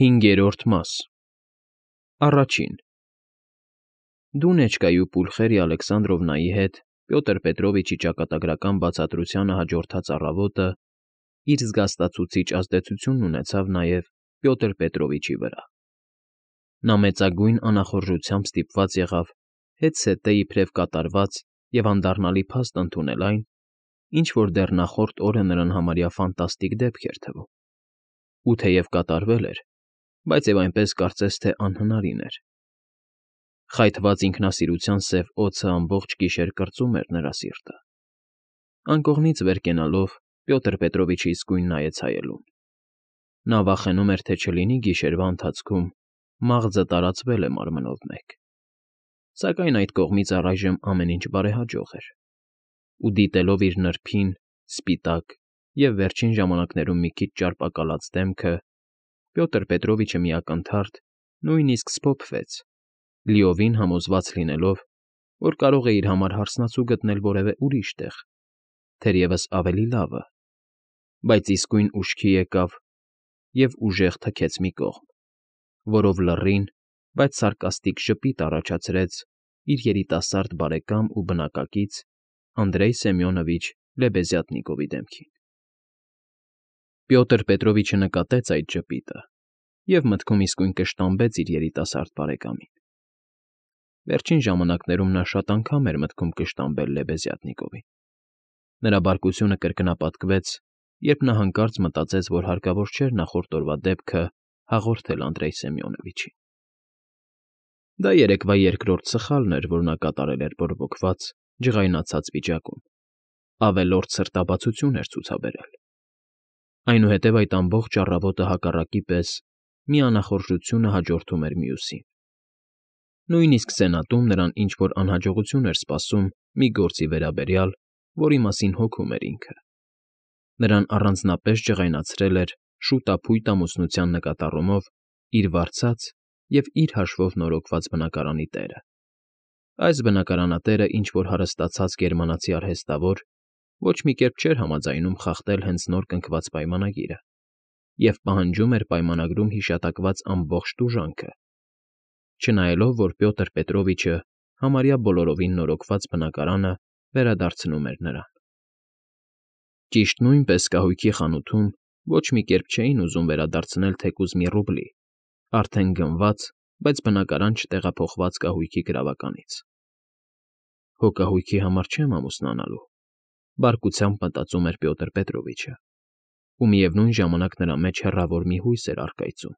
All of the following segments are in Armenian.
5-րդ մաս Առաջին Դունեչկայի ու Պուլխերիա Ալեքսանդրովնայի հետ Պյոտր Պետրովիչի ճակատագրական բացատրությանը հաջորդած առավոտը իր զգաստացուցիչ ազդեցությունն ունեցավ նաև Պյոտր Պետրովիչի վրա։ Նա մեծագույն անախորժությամբ ստիպված եղավ հետզհետե իբրև կատարված և անդառնալի փաստ ընդունել այն, ինչ որ դեռ նախորդ օրը նրան համարյա ֆանտաստիկ դեպք էր թվում, ու թեև կատարվել էր, բայց և այնպես կարծես թե անհնարին էր։ Խայթված ինքնասիրության սև օձը ամբողջ գիշեր կրծում էր նրա սիրտը։ Անկողնից վեր կենալով Պյոտր Պետրովիչը իսկույն նայեց հայելուն։ Նա վախենում էր, թե չլինի գիշերվա ընթացքում մաղձը տարածվել է մարմնով մեկ։ Սակայն այդ կողմից առայժմ ամեն ինչ բարեհաջող էր, ու դիտելով իր նրբին, սպիտակ և վերջին ժամանակներում մի քիչ ճարպակալած դեմքը, Պյոտր Պետրովիչը մի ակնթարթ նույնիսկ սփոփվեց, լիովին համոզված լինելով, որ կարող է իր համար հարսնացու գտնել որևէ ուրիշ տեղ, թերևս ավելի լավը, բայց իսկույն ուշքի եկավ և ուժեղ թքեց մի կողմ, որով լռին, բայց սարկաստիկ ժպիտ առաջացրեց իր երիտասարդ բարեկամ ու բնակակից Անդրեյ Սեմյոնովիչ Լեբեզյատնիկովի դեմքին։ Պյոտր Պետրովիչը նկատեց այդ ժպիտը և մտքում իսկույն կշտամբեց իր երիտասարդ բարեկամին։ Վերջին ժամանակներում նա շատ անգամ էր մտքում կշտամբել Լեբեզյատնիկովին։ Նրա բարկությունը կրկնապատկվեց, երբ նա հանկարծ մտածեց, որ հարկավոր չէր նախորդ օրվա դեպքը հաղորդել Անդրեյ Սեմյոնովիչին։ Դա երեկվա երկրորդ սխալն էր, որ նա կատարել էր բորբոքված, ջղայնացած վիճակում, ավելորդ սրտաբացություն էր ցուցաբերել։ Այնուհետև այդ ամբողջ առավոտը հակառակի պես մի անախորժությունը հաջորդում էր մյուսին։ Նույնիսկ սենատում նրան ինչ֊որ անհաջողություն էր սպասում մի գործի վերաբերյալ, որի մասին հոգում էր ինքը։ Նրան առանձնապես ջղայնացրել էր շուտափույթ ամուսնության նկատառումով իր վարձած և իր հաշվով նորոգված բնակարանի տերը։ Այս բնակարանատերը ինչ֊որ հարստացած գերմանացի արհեստավոր ոչ մի կերպ չէր համաձայնում խախտել հենց նոր կնքված պայմանագիրը և պահանջում էր պայմանագրում հիշատակված ամբողջ տուժանքը, չնայելով, որ Պյոտր Պետրովիչը համարյա բոլորովին նորոգված բնակարանը վերադարձնում էր նրան։ Ճիշտ նույնպես կահույքի խանութում ոչ մի կերպ չէին ուզում վերադարձնել թեկուզ մի ռուբլի, արդեն գնված, բայց բնակարան չտեղափոխված կահույքի գրավականից։ «Հո կահույքի համար չեմ ամուսնանալու», բարկությամբ մտածում էր Պյոտր Պետրովիչը, ու միևնույն ժամանակ նրա մեջ հեռավոր մի հույս էր առկայծում.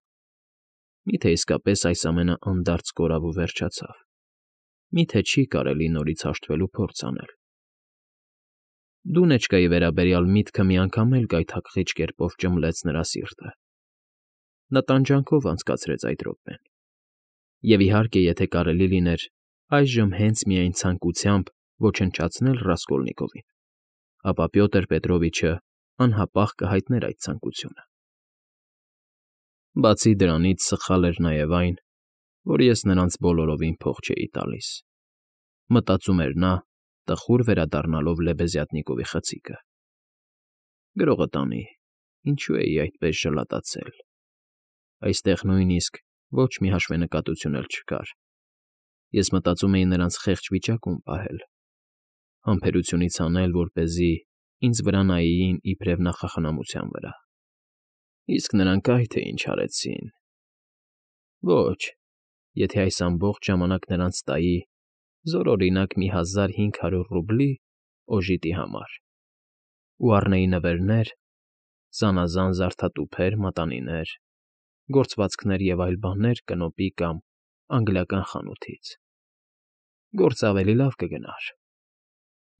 միթե իսկապես այս ամենը անդարձ կորավ ու վերջացավ, միթե չի կարելի նորից հաշտվելու փորձ անել։ Դունեչկայի վերաբերյալ միտքը մի անգամ էլ գայթակղիչ կերպով ճմլեց նրա սիրտը։ Նա տանջանքով անցկացրեց այդ րոպեն։ Եվ իհարկե, եթե կարելի լիներ այժմ հենց միայն ցանկությամբ ոչնչացնել Ռասկոլնիկովին, ապա Պյոտր Պետրովիչը անհապաղ կհայտներ այդ ցանկությունը։ Բացի դրանից սխալ էր նաև այն, որ ես նրանց բոլորովին փող չէի տալիս, մտածում էր նա, տխուր վերադառնալով Լեբեզյատնիկովի խցիկը։ Գրողը տանի, ինչու էի այդպես ժլատացել։ Այստեղ նույնիսկ ոչ մի հաշվենկատություն էլ չկար։ Ես մտածում էի նրանց խեղճ վիճակում պահել, համբերությունից անել, որպեսզի ինձ վրա նայեին իբրև նախախնամության վրա։ Իսկ նրանք այ թե ինչ արեցին։ Ոչ, եթե այս ամբողջ ժամանակ նրանց տայի զորօրինակ մի 1500 ռուբլի օժիտի համար, ու առնեի նվերներ, զանազան զարդատուփեր, մատանիներ, գործվածքներ և այլ բաներ կնոպի կամ անգլիական խանութից, գործը ավելի լավ կգնար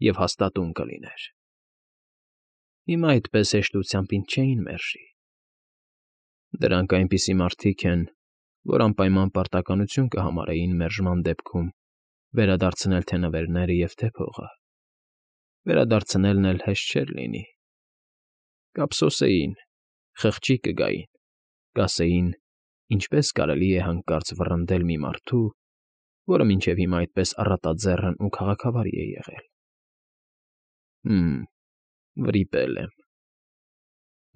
և հաստատուն կլիներ։ Հիմա այդպես հեշտությամբ ինձ չէին մերժի։ Դրանք այնպիսի մարդիկ են, որ անպայման պարտականություն կհամարեին մերժման դեպքում վերադարձնել թե նվերները և թե փողը։ Վերադարձնելն էլ հեշտ չէր լինի։ Կափսոսեին, խղճի կգային, կասեին. ինչպես կարելի է հանկարծ վռնդել մի մարդու, որը մինչև հիմա այդպես առատաձեռն ու քաղաքավարի է եղել։ Վրիպել եմ։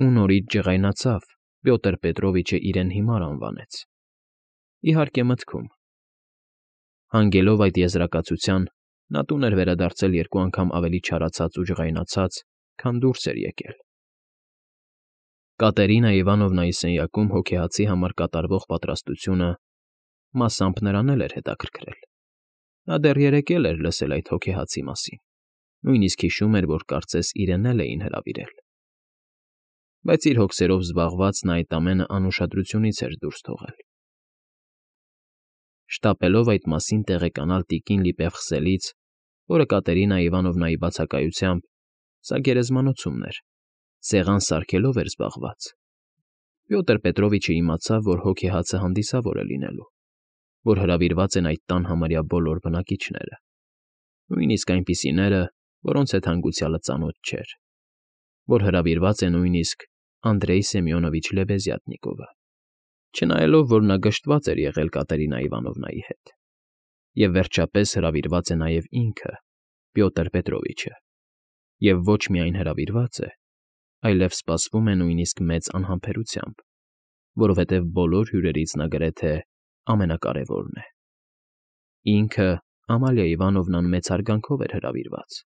Ու նորից ջղայնացավ Պյոտր Պետրովիչը իրեն հիմար անվանեց։ Իհարկե մտքում։ Հանգելով այդ եզրակացության, նա տուն էր վերադարձել երկու անգամ ավելի չարացած ու ջղայնացած, քան դուրս էր եկել։ Կատերինա Իվանովնայի սենյակում հոգեհացի համար կատարվող պատրաստությունը մասամբ նրան էլ էր հետաքրքրել։ Նա դեռ երեկ էր լսել այդ հոգեհացի մասին, նույնիսկ հիշում էր, որ կարծես իրեն էլ էին հրավիրել։ Բայց իր հոգսերով զբաղված նա այդ ամենը անուշադրությունից էր դուրս թողել։ Շտապելով այդ մասին տեղեկանալ տիկին Լիպևխսելից, որը Կատերինա Իվանովնայի բացակայությամբ, սա գերեզմանոցումն էր, սեղան սարքելով էր զբաղված, Պյոտր Պետրովիչը իմացավ, որ հոգեհացը հանդիսավոր է լինելու, որ հրավիրված են այդ տան համարյա բոլոր բնակիչները, նույնիսկ այնպիսիները, որոնց հետ հանգուցյալը ծանոթ չէր, որ հրավիրված է նույնիսկ Անդրեյ Սեմյոնովիչ Լեբեզյատնիկովը, չնայելով, որ նա գժտված էր եղել Կատերինա Իվանովնայի հետ, և վերջապես հրավիրված է նաև ինքը, Պյոտր Պետրովիչը, և ոչ միայն հրավիրված է, այլև սպասվում է նույնիսկ մեծ անհամբերությամբ, որովհետև բոլոր հյուրերից նա գրեթե ամենակարևորն է։ Ինքը Ամալիա Իվանովնան մեծ հարգանքով էր հրավիրված,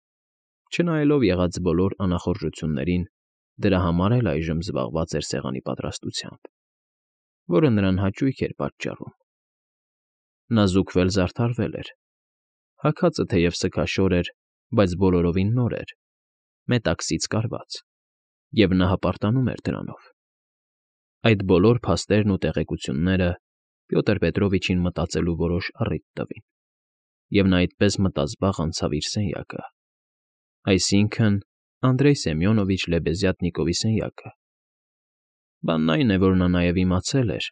չնայելով եղած բոլոր անախորժություններին, դրա համար էլ այժմ զբաղված էր սեղանի պատրաստությամբ, որը նրան հաճույք էր պատճառում։ Նա զուգվել-զարդարվել էր, հագածը թեև սգաշոր էր, բայց բոլորովին նոր էր, մետաքսից կարված, և նա հպարտանում էր դրանով։ Այդ բոլոր փաստերն ու տեղեկությունները Պյոտր Պետրովիչին մտածելու որոշ առիթ տվին, և նա այդպես մտազբաղ անցավ իր սենյակը, այսինքն Անդրեյ Սեմյոնովիչ Լեբեզյատնիկովի սենյակը։ Բանն այն է, որ նա նաև իմացել էր,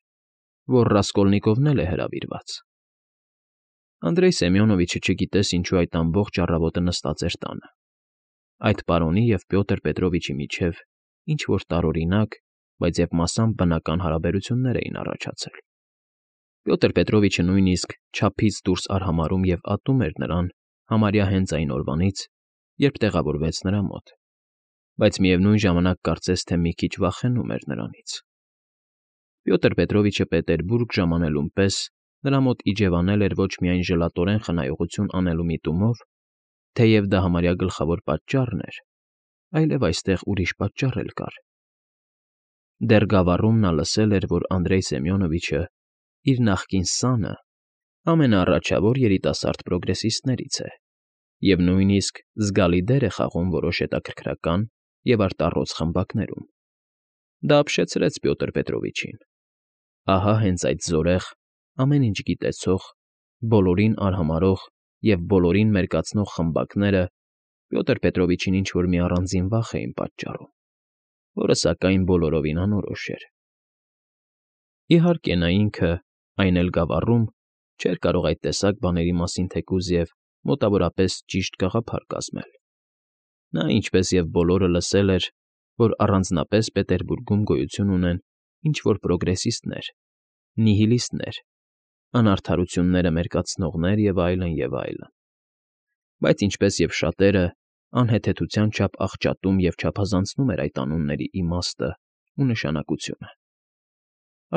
որ Ռասկոլնիկովն էլ է հրավիրված։ Անդրեյ Սեմյոնովիչը չգիտես ինչու այդ ամբողջ առավոտը նստած էր տանը։ Այդ պարոնի և Պյոտր Պետրովիչի միջև ինչ-որ տարօրինակ, բայց և մասամբ բնական հարաբերություններ էին առաջացել։ Պյոտր Պետրովիչը նույնիսկ չափից դուրս արհամարհում և ատում էր նրան համարյա հենց այն օրվանից, երբ տեղավորվեց նրա մոտ, բայց միևնույն ժամանակ կարծես թե մի քիչ վախենում էր նրանից։ Պյոտր Պետրովիչը Պետերբուրգ ժամանելուն պես նրա մոտ իջևանել էր ոչ միայն ժլատորեն խնայողություն անելու միտումով, թեև դա համարյա գլխավոր պատճառն էր, այլև այստեղ ուրիշ պատճառ էլ կար։ Դեռ գավառում նա լսել էր, որ Անդրեյ Սեմյոնովիչը իր նախկին սանը ամենաառաջավոր երիտասարդ պրոգրեսիստներից է և նույնիսկ զգալի դեր է խաղում որոշ հետաքրքրական և արտառոց խմբակներում։ Դա ապշեցրեց Պյոտր Պետրովիչին։ Ահա հենց այդ զորեղ, ամեն ինչ գիտեցող, բոլորին արհամարհող և բոլորին մերկացնող խմբակները Պյոտր Պետրովիչին ինչ֊որ մի առանձին վախ էին պատճառում, որը, սակայն, բոլորովին անորոշ էր։ Իհարկե, նա ինքը, այն էլ գավառում, չէր կարող այդ տեսակ բաների մասին թեկուզ և մոտավորապես ճիշտ գաղափար կազմել։ Նա, ինչպես և բոլորը, լսել էր, որ առանձնապես Պետերբուրգում գոյություն ունեն ինչ֊որ պրոգրեսիստներ, նիհիլիստներ, անարդարությունները մերկացնողներ և այլն, և այլն։ Բայց ինչպես և շատերը, անհեթեթության չափ աղճատում և չափազանցնում էր այդ անունների իմաստն ու նշանակությունը։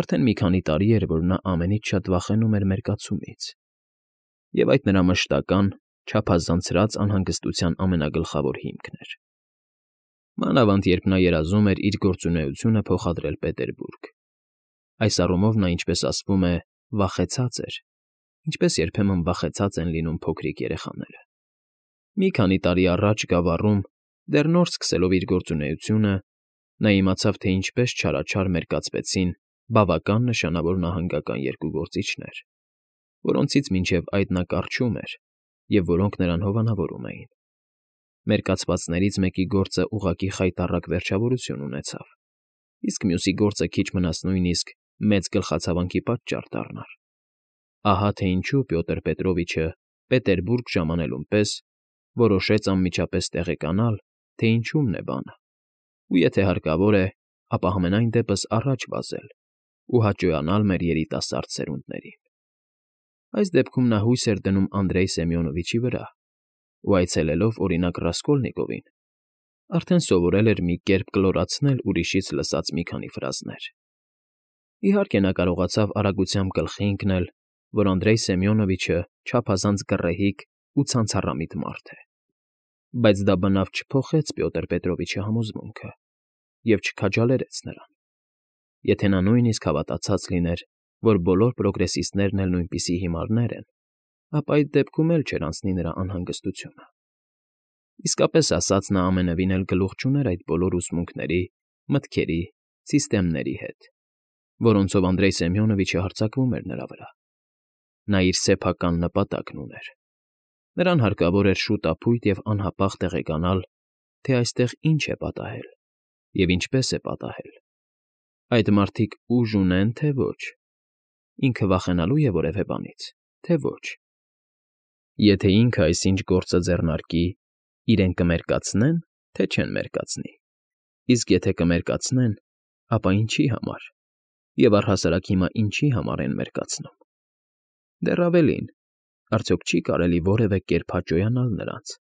Արդեն մի քանի տարի էր, որ նա ամենից շատ վախենում էր մերկացումից, և այդ նրա մշտական, չափազանցրած անհանգստության ամենագլխավոր հիմքն էր։ Մանավանդ երբ նա երազում էր իր գործունեությունը փոխադրել Պետերբուրգ։ Այս առումով նա, ինչպես ասվում է, վախեցած էր, ինչպես երբեմն վախեցած են լինում փոքրիկ երեխաները։ Մի քանի տարի առաջ գավառում, դեռ նոր սկսելով իր գործունեությունը, նա իմացավ, թե ինչպես չարաչար մերկացվեցին բավական նշանավոր նահանգական երկու գործիչներ, որոնցից մինչև այդ նա կառչում էր և որոնք նրան հովանավորում էին։ Մերկացվածներից մեկի գործը ուղղակի խայտառակ վերջավորություն ունեցավ, իսկ մյուսի գործը քիչ մնաց նույնիսկ մեծ գլխացավանքի պատճառ դառնար։ Ահա թե ինչու Պյոտր Պետրովիչը Պետերբուրգ ժամանելուն պես որոշեց անմիջապես տեղեկանալ, թե ինչումն է բանը, ու եթե հարկավոր է, ապա համենայն դեպս առաջ վազել ու հաճոյանալ մեր երիտասարդ սերունդներին։ Այս դեպքում նա հույս էր դնում Անդրեյ Սեմյոնովիչի վրա ու, այցելելով, օրինակ, Ռասկոլնիկովին, արդեն սովորել էր մի կերպ կլորացնել ուրիշից լսած մի քանի ֆրազներ։ Իհարկե նա կարողացավ արագությամբ գլխի ընկնել, որ Անդրեյ Սեմյոնովիչը չափազանց գռեհիկ ու ցանցառամիտ մարդ է, բայց դա բնավ չփոխեց Պյոտր Պետրովիչի համոզմունքը և չքաջալերեց նրան։ Եթե նա նույնիսկ հավատացած լիներ, որ բոլոր պրոգրեսիստներն էլ նույնպիսի հիմարներ են, ապա այդ դեպքում էլ չէր անցնի նրա անհանգստությունը։ Իսկապես ասած, նա ամենևին էլ գլուխ չուներ այդ բոլոր ուսմունքների, մտքերի, սիստեմների հետ, որոնցով Անդրեյ Սեմյոնովիչը հարձակվում էր նրա վրա։ Նա իր սեփական նպատակն ուներ։ Նրան հարկավոր էր շուտափույթ և անհապաղ տեղեկանալ, թե այստեղ ինչ է պատահել և ինչպես է պատահել։ Այդ մարդիկ ուժ ունեն, թե ոչ։ Ինքը վախենալու է որևէ բանից, թե ոչ։ Եթե ինքը այսինչ գործը ձեռնարկի, իրեն կմերկացնե՞ն, թե չեն մերկացնի։ Իսկ եթե կմերկացնեն, ապա ինչի համար, և առհասարակ հիմա ինչի համար են մերկացնում։ Դեռ ավելին, արդյոք չի՞ կարելի որևէ կերպ հաճոյանալ նրանց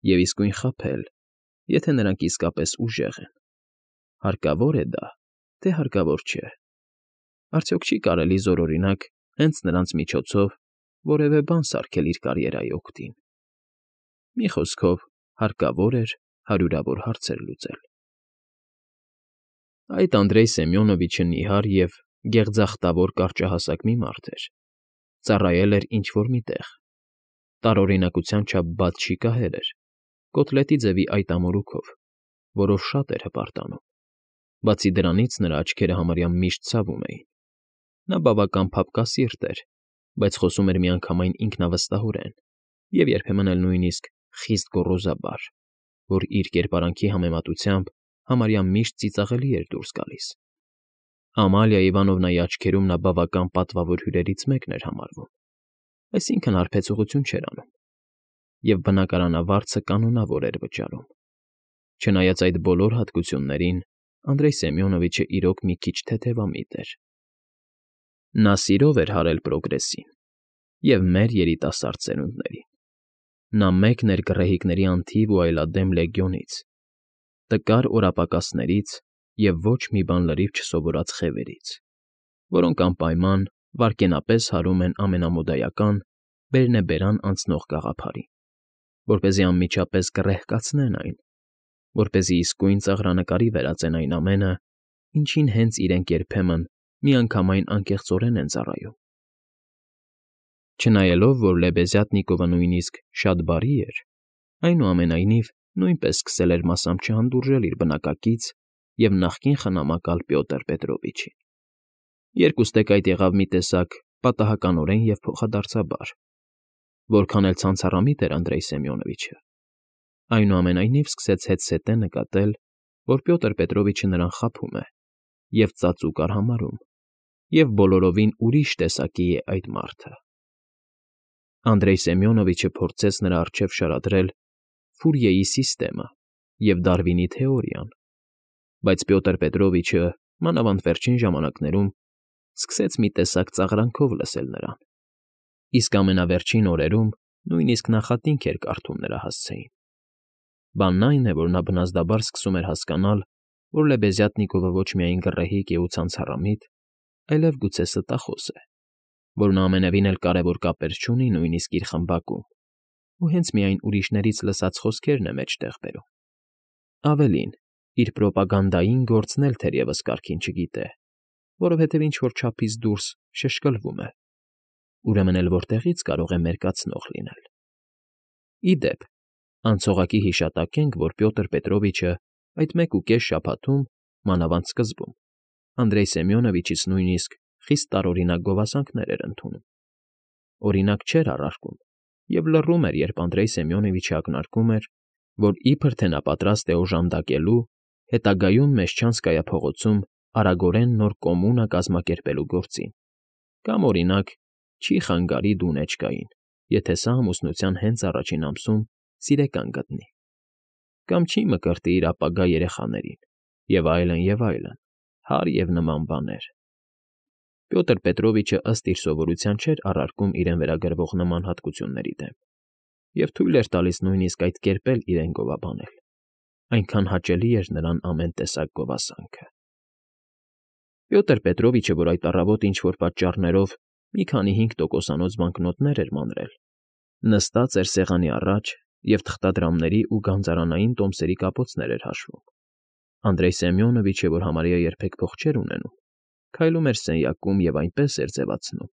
և իսկույն խաբել, եթե նրանք իսկապես ուժեղ են։ Հարկավո՞ր է դա, թե հարկավոր չէ։ Արդյոք չի՞ կարելի զորօրինակ հենց նրանց միջոցով որևէ բան սարքել իր կարիերայի օգտին։ Մի խոսքով, հարկավոր էր հարյուրավոր հարցեր լուծել։ Այդ Անդրեյ Սեմյոնովիչը նիհար և գեղձախտավոր կարճահասակ մի մարդ էր, ծառայել էր ինչ֊որ մի տեղ, տարօրինակության չափ բաց շիկահեր էր, կոտլետի ձևի այտամորուքով, որով շատ էր հպարտանում։ Բացի դրանից նրա աչքերը համարյա միշտ ցավում էին։ Նա բավական փափկասիրտ էր, բայց խոսում էր միանգամայն ինքնավստահորեն և երբեմն էլ նույնիսկ խիստ գոռոզաբար, որ իր կերպարանքի համեմատությամբ համարյա միշտ ծիծաղելի էր դուրս գալիս։ Ամալիա Իվանովնայի աչքերում նա բավական պատվավոր հյուրերից մեկն էր համարվում, այսինքն հարբեցողություն չէր անում, և բնակարանավարձը կանոնավոր էր վճարում։ Չնայած այդ բոլոր հատկություններին, Անդրեյ Սեմյոնովիչը իրոք մի քիչ թեթևամիտ էր։ Նա սիրով էր հարել պրոգրեսին և մեր երիտասարդ սերունդներին։ Նա մեկն էր գռեհիկների անթիվ ու այլադեմ լեգիոնից, տկար օրապակասներից և ոչ մի բան լրիվ չսովորած խևերից, որոնք անպայման վայրկենապես հարում են ամենամոդայական, բերնեբերան անցնող գաղափարին, որպեսզի անմիջապես գռեհկացնեն այն, որպեսզի իսկույն ծաղրանկարի վերածեն այն ամենը, ինչին հենց իրենք երբեմն միանգամայն անկեղծորեն են ծառայում։ Չնայելով, որ Լեբեզյատնիկովը նույնիսկ շատ բարի էր, այնուամենայնիվ նույնպես սկսել էր մասամբ չհանդուրժել իր բնակակից և նախկին խնամակալ Պյոտր Պետրովիչին։ Երկուստեք այդ եղավ մի տեսակ պատահականորեն և փոխադարձաբար, որքան էլ ցանցառամիտ էր Անդրեյ Սեմյոնովիչը, այնուամենայնիվ սկսեց հետզհետե նկատել, որ Պյոտր Պետրովիչը նրան խաբում է և ծածուկ արհամարհում, և բոլորովին ուրիշ տեսակի է այդ մարդը։ Անդրեյ Սեմյոնովիչը փորձեց նրա առջև շարադրել Ֆուրիեի սիստեմը և Դարվինի թեորիան, բայց Պյոտր Պետրովիչը, մանավանդ վերջին ժամանակներում, սկսեց մի տեսակ ծաղրանքով լսել նրան, իսկ ամենավերջին օրերում նույնիսկ նախատինք էր կարդում նրա հասցեին։ Բանն այն է, որ նա բնազդաբար սկսում էր հասկանալ, որ Լեբեզյատնիկովը ոչ միայն գռեհիկ է ու ցանցառամիտ, այլև գուցե ստախոս է, որ նա ամենևին էլ կարևոր կապեր չունի նույնիսկ իր խմբակում ու հենց միայն ուրիշներից լսած խոսքերն է մեջտեղ բերում։ Ավելին, իր պրոպագանդային գործն էլ թերևս կարգին չգիտե, որովհետև ինչ֊որ չափից դուրս շշկլվում է, ուրեմն էլ որտեղի՞ց կարող է մերկացնող լինել։ Ի դեպ, անցողակի հիշատակենք, որ Պյոտր Պետրովիչը այդ 1.5 շաբաթում, մանավանդ սկզբում, Անդրեյ Սեմյոնովիչից նույնիսկ խիստ տարօրինակ գովասանքներ էր ընդունում։ Օրինակ չէր առարկում և լռում էր, երբ Անդրեյ Սեմյոնովիչը ակնարկում էր, որ իբր թե նա պատրաստ է օժանդակելու հետագայում Մեշչանսկայա փողոցում արագորեն նոր կոմունա կազմակերպելու գործին, կամ, օրինակ, չի խանգարի Դունեչկային, եթե սա ամուսնության հենց առաջին ամսում սիրեկան գտնի, կամ չի մկրտի իր ապագա երեխաներին, և այլն, հարկ և նման բաներ։ Պյոտր Պետրովիչը ըստ իր սովորության չէր առարկում իրեն վերագրվող նման հատկությունների դեմ և թույլ էր տալիս նույնիսկ այդ կերպ էլ իրեն գովաբանել, այնքան հաճելի էր նրան ամեն տեսակ գովասանքը։ Պյոտր Պետրովիչը, որ այդ առավոտ ինչ֊որ պատճառներով մի քանի 5%-անոց բանկնոտներ էր մանրել, նստած էր սեղանի առաջ և թղթադրամների ու գանձարանային տոմսերի կապոցներ էր հաշվում. Անդրեյ Սեմյոնովիչը, որ համարյա երբեք փող չէր ունենում, քայլում էր սենյակում և այնպես էր ձևացնում,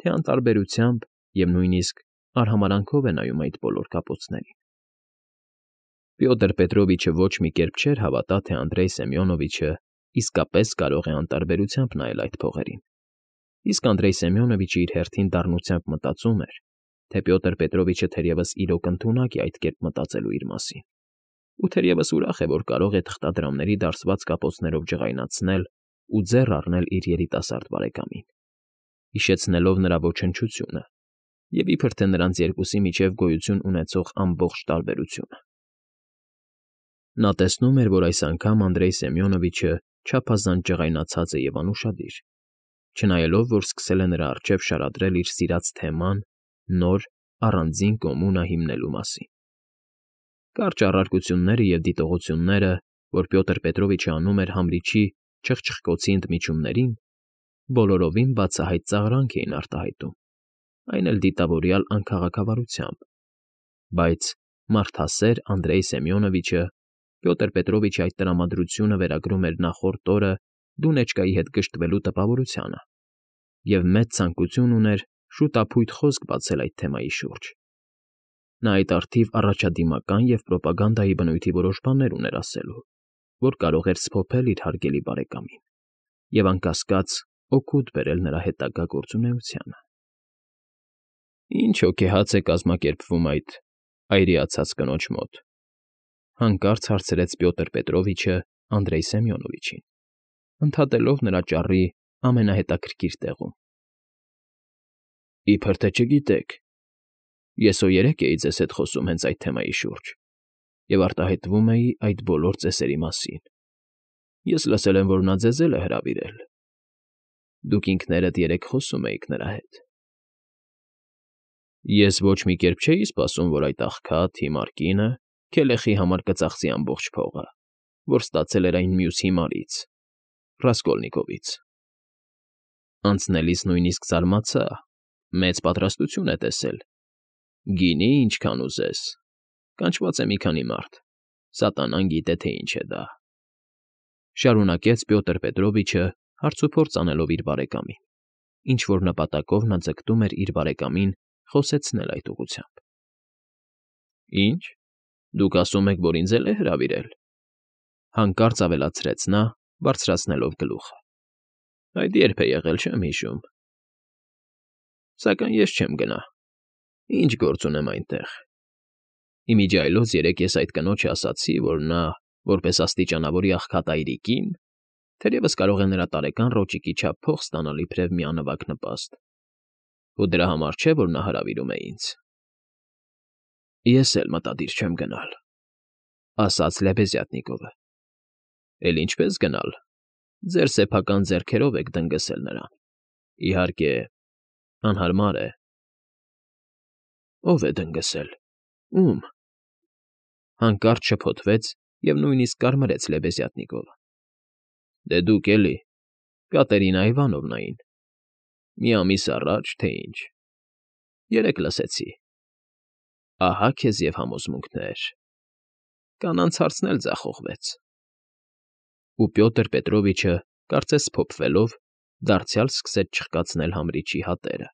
թե անտարբերությամբ և նույնիսկ արհամարհանքով է նայում այդ բոլոր կապոցներին։ Պյոտր Պետրովիչը ոչ մի կերպ չէր հավատա, թե Անդրեյ Սեմյոնովիչը իսկապես կարող է անտարբերությամբ նայել այդ փողերին, իսկ Անդրեյ Սեմյոնովիչը իր հերթին դառնությամբ մտածում էր, թե Պյոտր Պետրովիչը թերևս իրոք ընդունակ է այդ կերպ մտածելու իր մասին, ու թերևս ուրախ է, որ կարող է թղթադրամների դարսված կապոցներով ջղայնացնել ու ձեռ առնել իր երիտասարդ բարեկամին, հիշեցնելով նրա ոչնչությունը և իբր թե նրանց երկուսի միջև գոյություն ունեցող ամբողջ տարբերությունը։ Նա տեսնում էր, որ այս անգամ Անդրեյ Սեմյոնովիչը չափազանց ջղայնացած է և անուշադիր, չնայելով, որ սկսել է նրա առջև շարադրել իր սիրած թեման նոր, առանձին կոմունա հիմնելու մասին։ Կարճ առարկությունները և դիտողությունները, որ Պյոտր Պետրովիչը անում էր Համրիչի չխչխկոցի ընդմիջումներին, բոլորովին բացահայտ ծաղրանք էին արտահայտում, այն էլ դիտավորյալ անքաղաքավարությամբ, բայց մարդասեր Անդրեյ Սեմյոնովիչը Պյոտր Պետրովիչի այդ տրամադրությունը վերագրում էր նախորդ օրը Դունեչկայի հետ գժտվելու տպավորությանը և մեծ ցանկություն ուներ շուտափույթ խոսք բացել այդ թեմայի շուրջ։ Նա այդ առթիվ առաջադիմական և պրոպագանդայի բնույթի որոշ բաներ ուներ ասելու, որ կարող էր սփոփել իր հարգելի բարեկամին և, անկասկած, օգուտ բերել նրա հետագա գործունեությանը։ Ինչ հոգեհաց է կազմակերպվում այդ այրիացած կնոջ մոտ, հանկարծ հարցրեց Պյոտր Պետրովիչը Անդրեյ Սեմյոնովիչին, ընդհատելով նրա ճառի ամենահետաքրքիր տեղում։ Իբր թե չգիտեք, ես հո երեկ էի ձեզ հետ խոսում հենց այդ թեմայի շուրջ և արտահայտվում էի այդ բոլոր ծեսերի մասին։ Ես լսել եմ, որ նա ձեզ էլ է հրավիրել։ Դուք ինքներդ երեկ խոսում էիք նրա հետ։ Ես ոչ մի կերպ չէի սպասում, որ այդ աղքատ հիմար կինը Քելեխի համար կծախսի ամբողջ փողը, որ ստացել էր այն մյուս հիմարից՝ Ռասկոլնիկովից։ Անցնելիս նույնիսկ զարմացա, մեծ պատրաստություն է տեսել։ Գինի, ինչքան ուզես, կանչված է մի քանի մարդ, սատանան գիտե, թե ինչ է դա,֊ շարունակեց Պյոտր Պետրովիչը հարցուփորձ անելով իր բարեկամին, ինչ֊որ նպատակով նա ձգտում էր իր բարեկամին խոսեցնել այդ ուղղությամբ։ Ինչ, դուք ասում եք, որ ինձ էլ է հրավիրել,֊ հանկարծ ավելացրեց նա, բարձրացնելով գլուխը։ Այդ երբ է եղել, չեմ հիշում։ Սակայն ես չեմ գնա։ Ինչ գործ ունեմ այնտեղ։ Ի միջի այլոց երեկ ես այդ կնոջը ասացի, որ նա, որպես աստիճանավորի աղքատ այրիկին, թերևս կարող է նրա տարեկան ռոճիկի չափ փող ստանալ իբրև մի անվագ նպաստ, ու դրա համար չէ, որ նա հրավիրում է ինձ։ Ես էլ մտադիր չեմ գնալ,֊ ասաց Լեբեզյատնիկովը։ Էլ ինչպես գնալ։ Ձեր սեփական ձեռքերով եք դնգսել նրան։ Իհարկե, անհարմար է։ Ո՞վ է դնգսել։ Ո՞ւմ։ Հանկարծ շփոթվեց և նույնիսկ կարմրեց Լեբեզյատնիկովը։ Դե դուք էլի, Կատերինա Իվանովնային։ Մի ամիս առաջ, թե ինչ։ Երեկ լսեցի։ Ահա քեզ և համոզմունքներ։ Կանանց հարցն էլ ձախողվեց։ Ու Պյոտր Պետրովիչը, կարծես սփոփվելով, դարձյալ սկսեց չխկացնել Համրիչի հատերը։